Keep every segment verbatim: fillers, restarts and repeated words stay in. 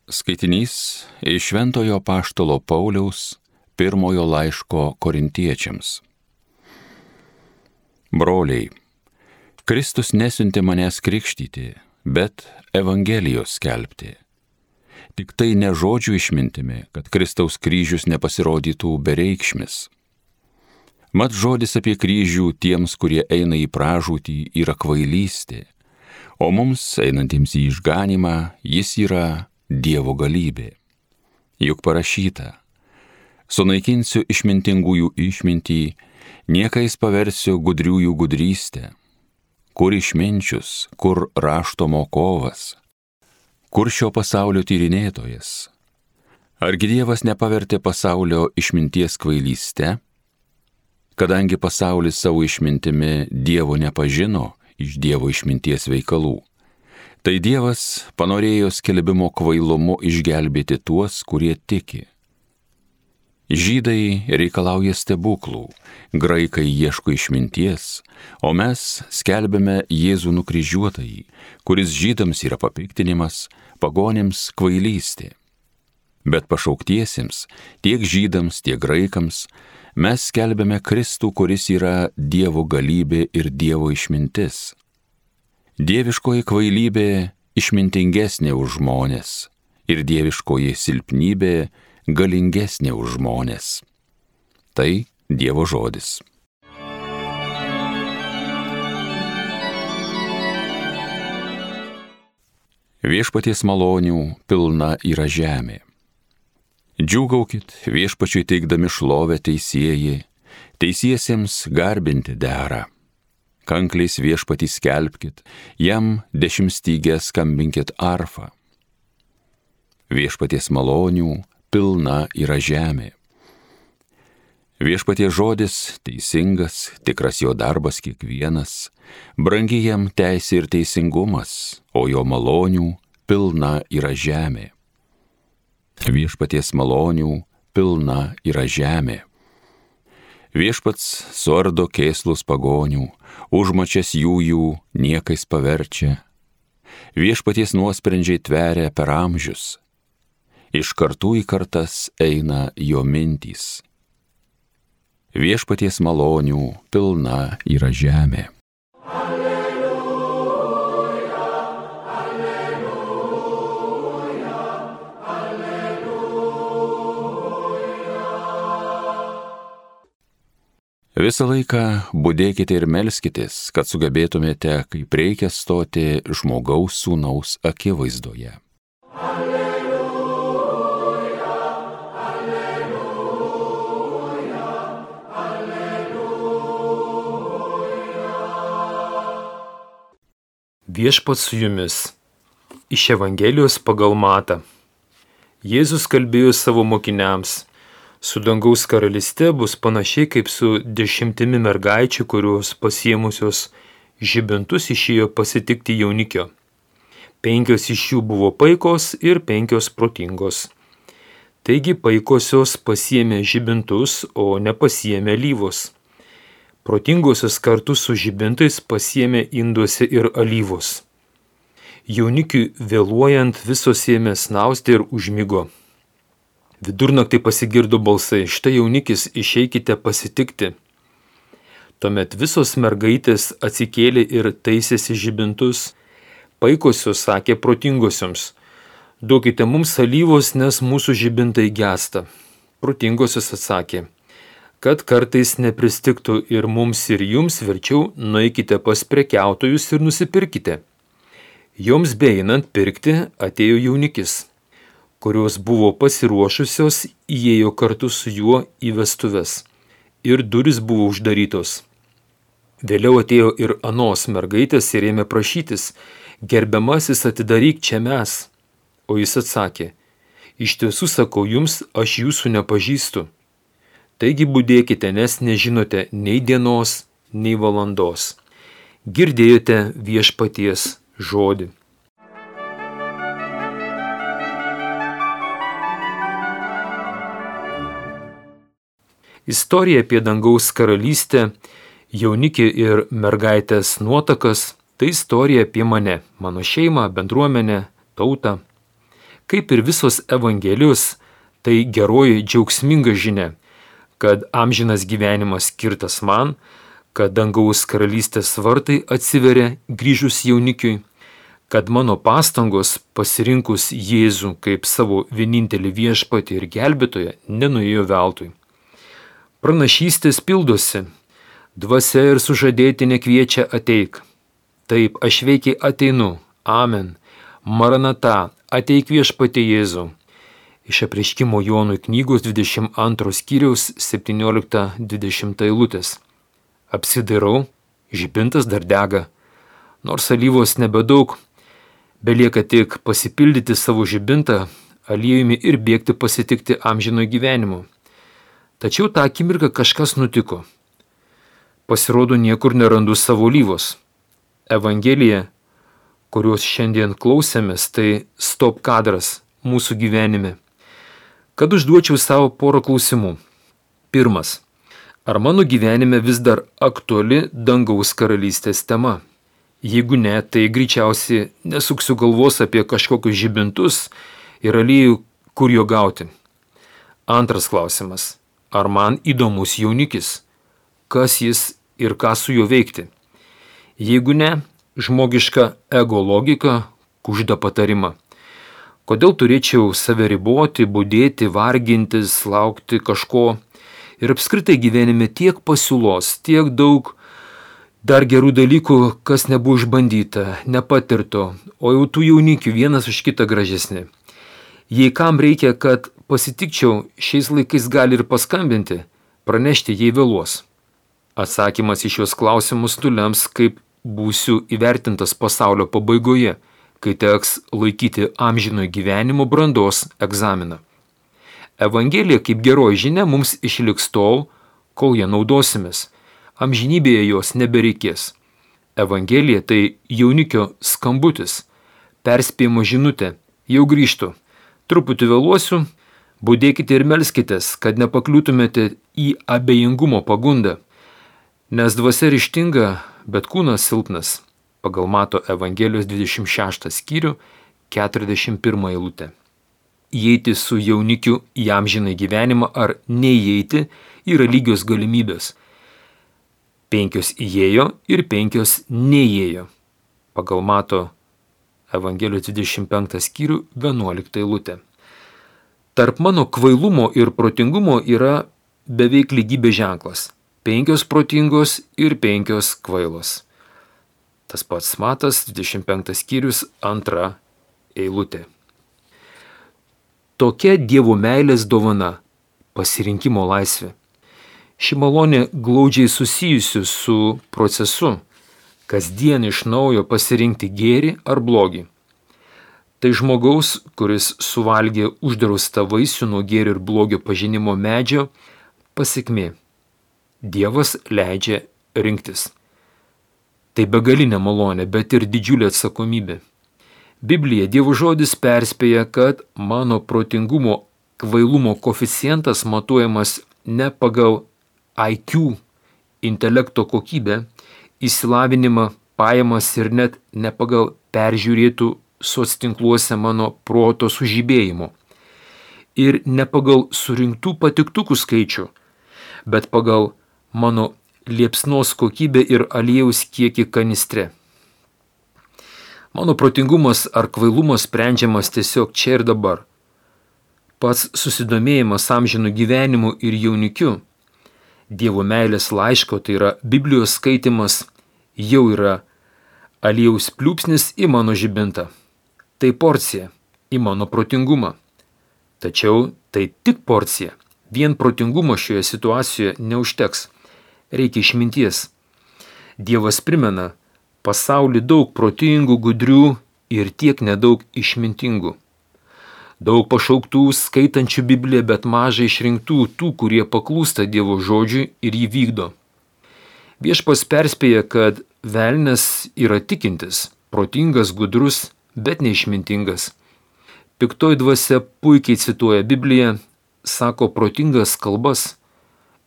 Skaitinys iš Šventojo Apaštalo Pauliaus pirmojo laiško Korintiečiams. Broliai, Kristus nesiuntė manęs krikštyti, bet Evangelijos skelbti. Tik tai ne žodžių išmintimi, kad Kristaus kryžius nepasirodytų bereikšmis. Mat žodis apie kryžių tiems, kurie eina į pražūtį, yra kvailystė, o mums, einantiems į išganimą, jis yra Dievo galybė. Juk parašyta: sunaikinsiu išmintingųjų išmintį, niekais paversiu gudriųjų gudrystę. Kur išminčius, kur rašto mokovas, kur šio pasaulio tyrinėtojas? Argi Dievas nepavertė pasaulio išminties kvailyste? Kadangi pasaulis savo išmintimi Dievo nepažino iš Dievo išminties veikalų, tai Dievas panorėjo skelbimo kvailumu išgelbėti tuos, kurie tiki. Žydai reikalauja stebuklų, graikai ieško išminties, o mes skelbiame Jėzų nukryžiuotąjį, kuris žydams yra papiktinimas, pagonims kvailystė. Bet pašauktiesiems, tiek žydams, tiek graikams, mes skelbiame Kristų, kuris yra Dievo galybė ir Dievo išmintis. Dieviškoji kvailybė išmintingesnė už žmones ir dieviškoji silpnybė galingesnė už žmones. Tai Dievo žodis. Viešpaties malonių pilna yra žemė. Džiūgaukit viešpačiui teikdami šlovę teisieji, teisiesiems garbinti dera. Kankliais viešpatį skelbkit, jam dešimtstygę skambinkit arfą. Viešpaties malonių pilna yra žemė. Viešpaties žodis teisingas, tikras jo darbas kiekvienas, brangi jam teisė ir teisingumas, o jo malonių pilna yra žemė. Viešpaties malonių pilna yra žemė. Viešpats suardo kėslus pagonių, užmačias jų jų niekais paverčia. Viešpaties nuosprendžiai tveria per amžius, iš kartų į kartas eina jo mintys. Viešpaties malonių pilna yra žemė. Visą laiką budėkite ir melskitės, kad sugebėtumėte, kaip reikia stoti žmogaus sūnaus akivaizdoje. Alleluja, alleluja, alleluja. Viešpats su jumis. Iš Evangelijos pagal Matą. Jėzus kalbėjo savo mokiniams: su dangaus karalyste bus panašiai kaip su dešimtimi mergaičių, kurios pasiėmusios žibintus išėjo pasitikti jaunikio. Penkios iš jų buvo paikos ir penkios protingos. Taigi paikosios pasiėmė žibintus, o nepasiėmė alyvos. Protingosios kartu su žibintais pasiėmė induose ir alyvos. Jaunikiui vėluojant visos ėmė snausti ir užmigo. Vidurnaktį pasigirdo balsai: štai jaunikis, išeikite pasitikti. Tuomet visos mergaitės atsikėlė ir taisėsi žibintus. Paikosios sakė protingosioms: duokite mums alyvos, nes mūsų žibintai gęsta. Protingosios atsakė: kad kartais nepristigtų ir mums ir jums, verčiau nueikite pas prekiautojus ir nusipirkite. Joms beeinant pirkti atėjo jaunikis, kurios buvo pasiruošusios, įėjo kartu su juo į vestuves, ir durys buvo uždarytos. Vėliau atėjo ir anos mergaitės ir ėmė prašytis: gerbiamasis, atidaryk, čia mes. O jis atsakė: iš tiesų sakau jums, aš jūsų nepažįstu. Taigi budėkite, nes nežinote nei dienos, nei valandos. Girdėjote viešpaties žodį. Istorija apie dangaus karalystę, jaunikį ir mergaitės nuotakas – tai istorija apie mane, mano šeimą, bendruomenę, tautą. Kaip ir visos Evangelijos, tai geroji džiaugsminga žinia, kad amžinas gyvenimas skirtas man, kad dangaus karalystės vartai atsiveria grįžus jaunikiui, kad mano pastangos pasirinkus Jėzų kaip savo vienintelį viešpatį ir gelbėtoją nenuėjo veltui. Pranašystės pildosi, dvasia ir sužadėtinė kviečia ateik. Taip, aš veikiai ateinu, amen, maranata, ateik viešpatie Jėzau. Iš Apreiškimo Jonui knygos dvidešimt antros skyriaus septyniolikta dvidešimta eilutės. Apsidairau, žibintas dar dega, nors alyvos nebedaug, belieka tik pasipildyti savo žibintą aliejumi ir bėgti pasitikti amžino gyvenimo. Tačiau tą akimirką kažkas nutiko. Pasirodo, niekur nerandu savo alyvos. Evangelija, kurios šiandien klausėmės, tai stop kadras mūsų gyvenime. Kad užduočiau savo porą klausimų. Pirmas. Ar mano gyvenime vis dar aktuali dangaus karalystės tema? Jeigu ne, tai greičiausiai nesuksiu galvos apie kažkokius žibintus ir aliejų, kur jo gauti. Antras klausimas. Ar man įdomus jaunikis? Kas jis ir ką su juo veikti? Jeigu ne, žmogiška ego logika kužda patarimą. Kodėl turėčiau save riboti, budėti, vargintis, laukti kažko ir apskritai gyvenime tiek pasiūlos, tiek daug dar gerų dalykų, kas nebuvo išbandyta, nepatirto, o jau tų jaunikių vienas už kitą gražesni. Jei kam reikia, kad pasitikčiau, šiais laikais gali ir paskambinti, pranešti, jei vėluos. Atsakymas į šios klausimus nulems, kaip būsiu įvertintas pasaulio pabaigoje, kai teks laikyti amžinojo gyvenimo brandos egzaminą. Evangelija kaip geroji žinia mums išliks tol, kol ją naudosimės. Amžinybėje jos nebereikės. Evangelija tai jaunikio skambutis, perspėjimo žinutė, jau grįžtu. Truputį vėluosiu, budėkite ir melskitės, kad nepakliūtumėte į abejingumo pagundą, nes dvasia ryžtinga, bet kūnas silpnas, pagal Mato Evangelijos dvidešimt šeštą skyrių, keturiasdešimt pirmą eilutę. Įeiti su jaunikiu į amžiną gyvenimą ar neįeiti yra lygios galimybės. Penkios įėjo ir penkios neįėjo. Pagal Mato Evangelijos dvidešimt penktą skyrių, vienuoliktą eilutę. Tarp mano kvailumo ir protingumo yra beveik lygybės ženklas. Penkios protingos ir penkios kvailos. Tas pats Matas, dvidešimt penktas skyrius, antra eilutė. Tokia Dievo meilės dovana – pasirinkimo laisvė. Ši malonė glaudžiai susijusi su procesu, kasdien iš naujo pasirinkti gėrį ar blogį. Tai žmogaus, kuris suvalgė uždraustą vaisių nuo gėrio ir blogio pažinimo medžio, pasekmė. Dievas leidžia rinktis. Tai begalinė malonė, bet ir didžiulė atsakomybė. Biblija, Dievo žodis perspėja, kad mano protingumo kvailumo koeficientas matuojamas ne pagal I Q, intelekto kokybę, išsilavinimą, pajamas ir net ne pagal peržiūrėtų soctinkluose mano proto sužibėjimo. Ir ne pagal surinktų patiktukų skaičių, bet pagal mano liepsnos kokybę ir aliejaus kiekį kanistre. Mano protingumas ar kvailumas sprendžiamas tiesiog čia ir dabar. Pats susidomėjimas amžinu gyvenimu ir jaunikiu, Dievo meilės laiško, tai yra Biblijos skaitimas, jau yra aliejaus pliūpsnis į mano žibintą. Tai porcija į mano protingumą. Tačiau tai tik porcija. Vien protingumo šioje situacijoje neužteks. Reikia išminties. Dievas primena, pasauly daug protingų, gudrių ir tiek nedaug išmintingų. Daug pašauktų, skaitančių Bibliją, bet mažai išrinktų tų, kurie paklūsta Dievo žodžiui ir jį vykdo. Viešpats perspėja, kad velnias yra tikintis, protingas, gudrus, bet neišmintingas. Piktoji dvasia puikiai cituoja Bibliją, sako protingas kalbas.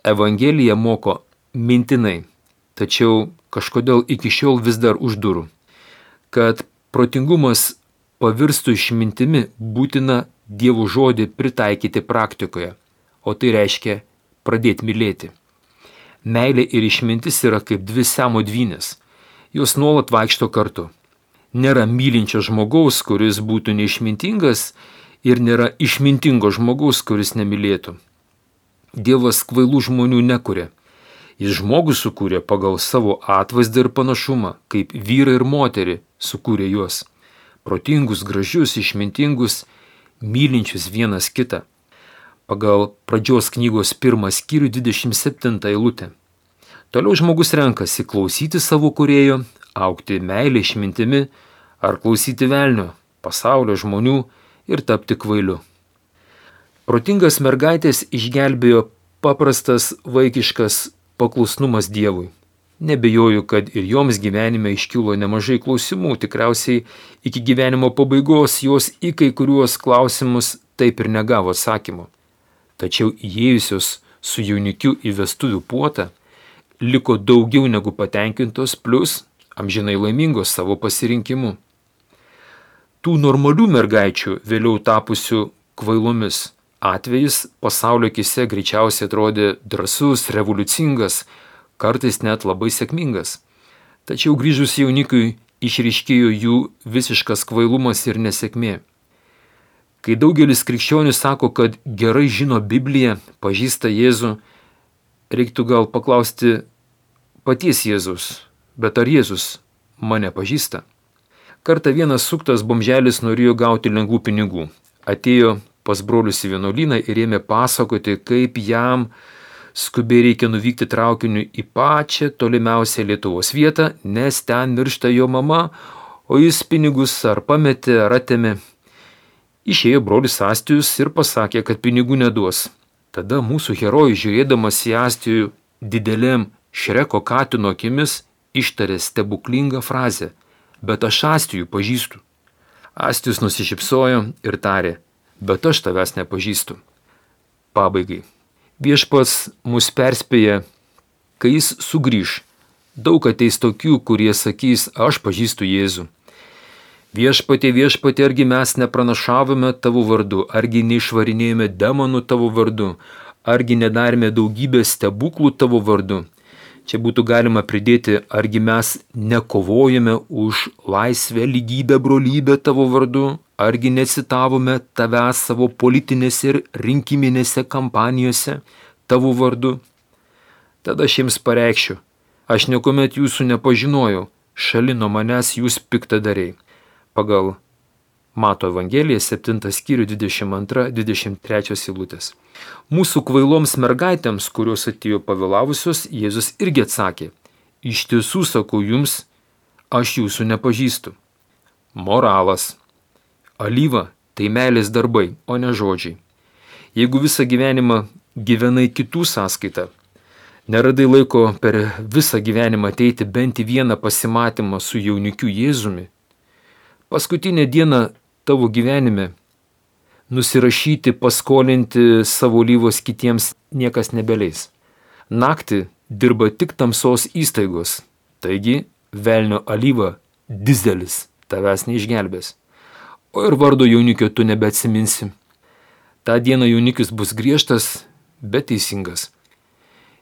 Evangelija moko mintinai, tačiau kažkodėl iki šiol vis dar už durų. Kad protingumas pavirstų išmintimi, būtina Dievo žodį pritaikyti praktikoje, o tai reiškia pradėti mylėti. Meilė ir išmintis yra kaip dvi siamo dvynės, jos nuolat vaikšto kartu. Nėra mylinčio žmogaus, kuris būtų neišmintingas, ir nėra išmintingo žmogaus, kuris nemylėtų. Dievas kvailų žmonių nekuria. Jis žmogų sukūrė pagal savo atvaizdą ir panašumą, kaip vyrą ir moterį sukūrė juos. Protingus, gražius, išmintingus, mylinčius vienas kitą. Pagal pradžios knygos pirmą skyrių dvidešimt septintą eilutę. Toliau žmogus renkasi klausyti savo kūrėjo, augti meilę išmintimi, ar klausyti velnio, pasaulio žmonių ir tapti kvailiu. Protingas mergaitės išgelbėjo paprastas vaikiškas paklusnumas Dievui. Nebejoju, kad ir joms gyvenime iškilo nemažai klausimų, tikriausiai iki gyvenimo pabaigos jos į kai kuriuos klausimus taip ir negavo atsakymo. Tačiau įėjusios su jaunikiu į vestuvių puotą liko daugiau negu patenkintos, plus amžinai laimingos savo pasirinkimu. Tų normalių mergaičių, vėliau tapusių kvailomis, atvejis pasaulio akise greičiausiai atrodė drąsus, revoliucingas, kartais net labai sėkmingas. Tačiau grįžus jaunikui išryškėjo jų visiškas kvailumas ir nesėkmė. Kai daugelis krikščionių sako, kad gerai žino Bibliją, pažįsta Jėzų, reiktų gal paklausti paties Jėzus, bet ar Jėzus mane pažįsta? Kartą vienas suktas bomželis norėjo gauti lengvų pinigų. Atėjo pas brolius į vienuolyną ir ėmė pasakoti, kaip jam skubiai reikia nuvykti traukiniu į pačią tolimiausią Lietuvos vietą, nes ten miršta jo mama, o jis pinigus ar pametė, ar atėmė. Išėjo brolis Astijus ir pasakė, kad pinigų neduos. Tada mūsų herojus, žiūrėdamas į Astijų didelėm Šreko katino akimis, ištarė stebuklingą frazę: bet aš Astijų pažįstu. Astijus nusišypsojo ir tarė: bet aš tavęs nepažįstu. Pabaigai. Viešpats mus perspėja, kai jis sugrįž. Daug ateis tokių, kurie sakys: aš pažįstu Jėzų. Viešpatie, viešpatie, argi mes nepranašavome tavo vardu, argi neišvarinėjome demonų tavo vardu, argi nedarėme daugybę stebuklų tavo vardu. Čia būtų galima pridėti, argi mes nekovojame už laisvę, lygybę, brolybę tavo vardu, argi necitavome tavęs savo politinėse ir rinkiminėse kampanijose tavo vardu. Tada aš jiems pareikšiu: aš niekuomet jūsų nepažinojau, šalin nuo manęs jūs piktadariai. Pagal Mato Evangeliją septintas skyrių dvidešimt antra dvidešimt trečia eilutės. Mūsų kvailoms mergaitėms, kurios atėjo pavėlavusios, Jėzus irgi atsakė: iš tiesų sakau jums, aš jūsų nepažįstu. Moralas. Alyva tai meilės darbai, o ne žodžiai. Jeigu visą gyvenimą gyvenai kitų sąskaitą, neradai laiko per visą gyvenimą ateiti bent į vieną pasimatymą su jaunikiu Jėzumi, paskutinę dieną tavo gyvenime nusirašyti, paskolinti savo alyvos kitiems niekas nebeleis. Naktį dirba tik tamsos įstaigos, taigi velnio alyva dizelis tavęs neišgelbės. O ir vardo jaunikio tu nebeatsiminsi. Ta diena jaunikis bus griežtas, bet teisingas.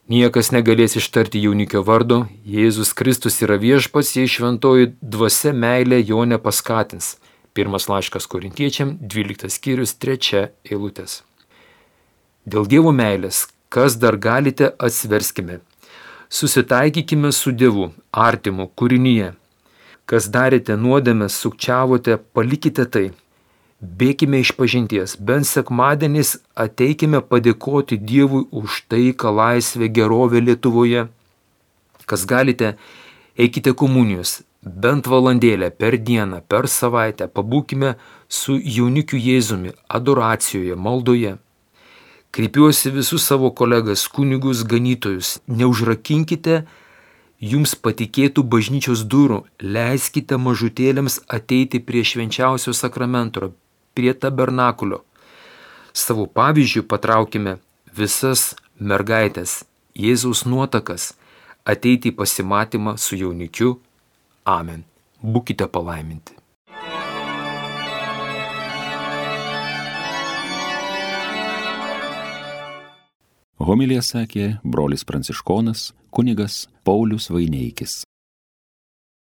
Niekas negalės ištarti jaunikio vardo, Jėzus Kristus yra viešpats, jei šventoji dvasia meilė jo nepaskatins. Pirmas laiškas Korintiečiam, dvyliktas skyrius, trečia eilutės. Dėl Dievo meilės, kas dar galite, atsiverskime. Susitaikykime su Dievu, artimu, kūrinyje. Kas darėte nuodėmę, sukčiavote, palikite tai. Bėkime iš pažinties, bent sekmadieniais ateikime padėkoti Dievui už taiką, laisvę, gerovę Lietuvoje. Kas galite, eikite komunijos, bent valandėlę per dieną, per savaitę, pabūkime su jaunikiu Jėzumi, adoracijoje, maldoje. Kreipiuosi visus savo kolegas, kunigus, ganytojus, neužrakinkite jums patikėtų bažnyčios durų, leiskite mažutėlėms ateiti prie švenčiausio sakramento, prie tabernakulio. Savo pavyzdžių patraukime visas mergaitės, Jėzaus nuotakas, ateiti į pasimatymą su jaunikiu. Amen. Būkite palaiminti. Homiliją sakė brolis pranciškonas kunigas Paulius Vaineikis.